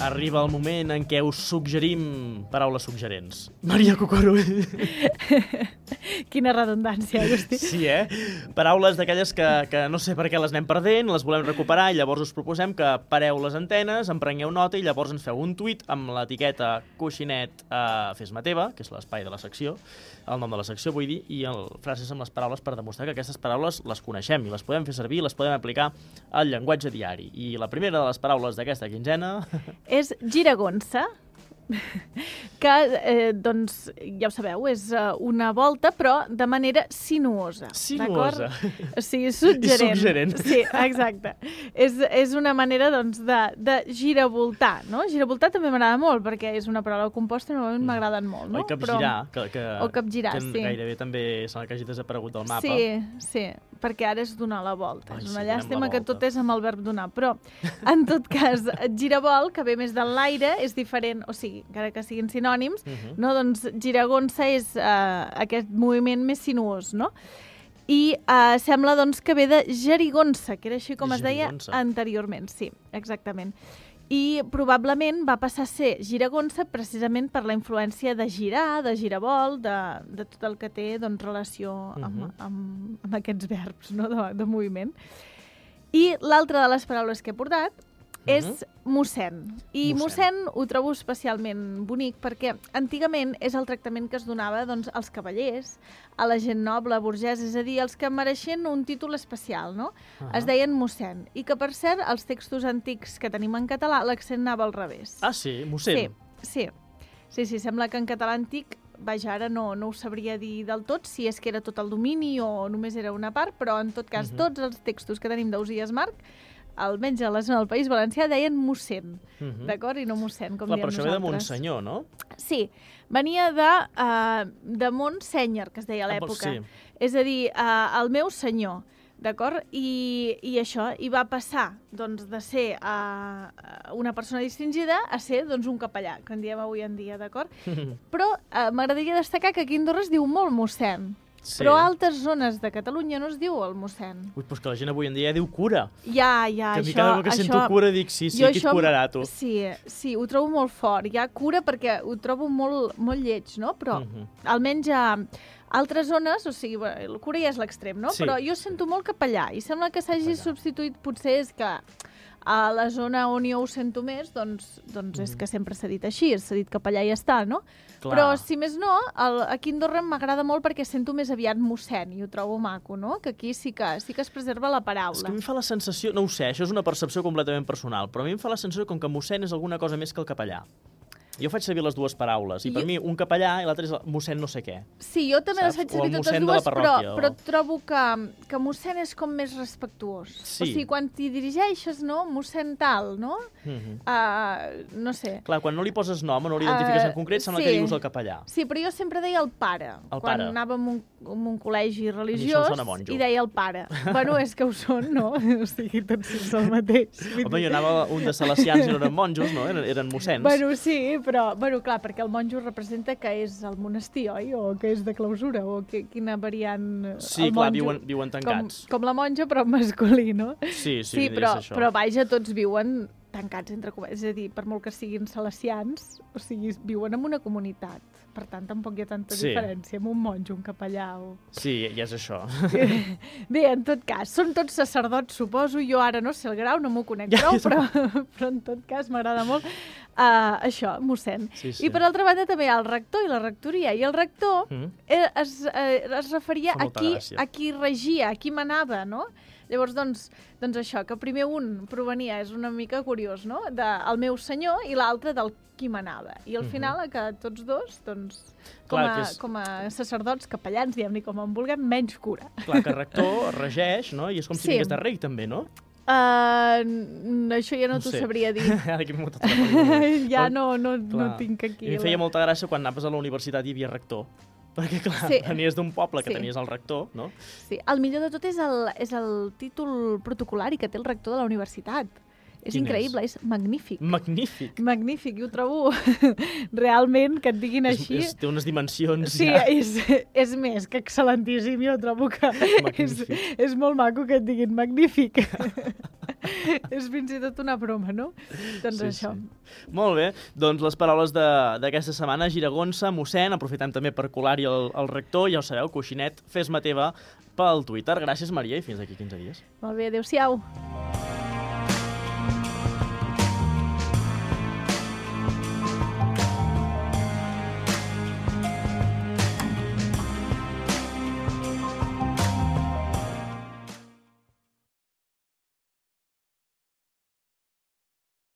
Arriba el moment en què us suggerim paraules suggerents. Maria Cocorro. Quina redundància, Agustí. Sí, Paraules d'aquelles que no sé per què les anem perdent, les volem recuperar i llavors us proposem que pareu les antenes, en prengueu nota i llavors ens feu un tuit amb l'etiqueta coixinet fes-me teva, que és l'espai de la secció, el nom de la secció vull dir, i frases amb les paraules per demostrar que aquestes paraules les coneixem i les podem fer servir, les podem aplicar al llenguatge diari. I la primera de les paraules d'aquesta quinzena... És giragonsa, que, doncs, ja ho sabeu, és una volta, però de manera sinuosa. Sinuosa. O sigui, suggerent. I suggerent. Sí, exacte. És una manera, doncs, de giravoltar, no? Giravoltar també m'agrada molt, perquè és una paraula composta i normalment m'agraden molt, no? O capgirar, o capgirar, que sí. Gairebé també sembla que hagi desaparegut del mapa. Sí, perquè ara és donar la volta. Ai, És una sí, llàstima donem la que tot volta. és amb el verb donar, però, en tot cas, giravolt, que ve més de l'aire, és diferent, o sigui, encara que siguin sinònims, no? Doncs giragonsa és aquest moviment més sinuós, no? I sembla, doncs, que ve de gerigonsa, que era així com es deia anteriorment. Sí, exactament. I probablement va passar a ser giragonsa precisament per la influència de girar, de giravolt, de tot el que té, doncs, relació amb aquests verbs, no? de moviment. I l'altra de les paraules que he portat és mossèn. I mossèn ho trobo especialment bonic perquè antigament és el tractament que es donava, doncs, als cavallers, a la gent noble, burgesa, és a dir, els que mereixen un títol especial, no? Es deien mossèn. I que, per cert, als textos antics que tenim en català, l'accent anava al revés. Ah, sí? Mossèn? Sí, sembla que en català antic, vaja, ara no ho sabria dir del tot, si és que era tot el domini o només era una part, però en tot cas tots els textos que tenim d'Ausiàs Marc, almenys a la zona del País Valencià, deien mossèn, d'acord? I no mossèn, com diem nosaltres. Però això ve de Montsenyor, no? Sí, venia de Montsenyor, que es deia a l'època. Sí. És a dir, el meu senyor, d'acord? I això, i va passar, doncs, de ser una persona distingida a ser, doncs, un capellà, que en diem avui en dia, d'acord? Però m'agradaria destacar que aquí a Andorra es diu molt mossèn. Sí. Però a altres zones de Catalunya no es diu el mossèn. Ui, doncs que la gent avui en dia diu cura. Ja, que a mi cada cop que sento cura dic, sí, qui et curarà, tu? Sí, ho trobo molt fort. Hi ha cura perquè ho trobo molt lleig, no? Però almenys a altres zones, o sigui, el cura ja és l'extrem, no? Sí. Però jo sento molt capellà i sembla que s'hagi substituït, potser és que a la zona on jo ho sento més, doncs és que sempre s'ha dit així, s'ha dit capellà i ja està, no? Clar. Però, si més no, aquí a Andorra m'agrada molt perquè sento més aviat mossèn i ho trobo maco, no? Que aquí sí que es preserva la paraula. És que a mi em fa la sensació, no ho sé, això és una percepció completament personal, però a mi em fa la sensació com que mossèn és alguna cosa més que el capellà. Jo faig servir les dues paraules, i per mi un capellà i l'altre és mossèn no sé què. Sí, jo també les faig servir totes dues, però trobo que mossèn és com més respectuós. Sí. O sigui, quan t'hi dirigeixes, no? Mossèn tal, no? No sé. Clar, quan no li poses nom o no l'identifiques en concret, sembla que dius el capellà. Sí, però jo sempre deia el pare. Quan anàvem a un col·legi religiós, i deia el pare. Bueno, és que ho són, no? O sigui, tots és el mateix. Home, jo anava un de salesians i no eren monjos, no? Eren mossens. Bueno, sí, però, clar, perquè el monjo representa que és el monestir, oi? O que és de clausura, o quina variant... Sí, clar, viuen tancats. Com la monja, però masculí, no? Sí, però vaja, tots viuen tancats, entre cometes. És a dir, per molt que siguin salesians, o sigui, viuen en una comunitat. Per tant, tampoc hi ha tanta diferència amb un monjo, un capellà o... Sí, ja és això. Bé, en tot cas, són tots sacerdots, suposo. Jo ara no sé el grau, no m'ho conec prou, però en tot cas m'agrada molt això, mossèn. Sí. I per altra banda també hi ha el rector i la rectoria. I el rector es referia a qui regia, a qui manava, no? Llavors, doncs això, que primer un provenia, és una mica curiós, no?, del meu senyor i l'altre del qui manava. I al final, que tots dos, doncs, com a sacerdots, capellans, diguem-ne com en vulguem, menys cura. Clar, que rector regeix, no?, i és com si vingués de rei, també, no? Això ja no t'ho sabria dir. Ja no tinc aquí. A mi feia molta gràcia quan anaves a la universitat i hi havia rector. Perquè, clar, venies d'un poble que tenies el rector, no? Sí, el millor de tot és el títol protocolari que té el rector de la universitat. És increïble, és magnífic. Magnífic? Magnífic, i ho trobo realment que et diguin així. Té unes dimensions ja... Sí, és més que excel·lentíssim, jo trobo que és molt maco que et diguin magnífic. És fins i tot una broma, no? Doncs Sí, això. sí. Molt bé, doncs les paraules d'aquesta setmana, Giragonsa, mossèn, aprofitem també per colar-hi el rector, ja ho sabeu, coixinet, fes-me teva pel Twitter. Gràcies, Maria, i fins aquí 15 dies. Molt bé, adéu-siau.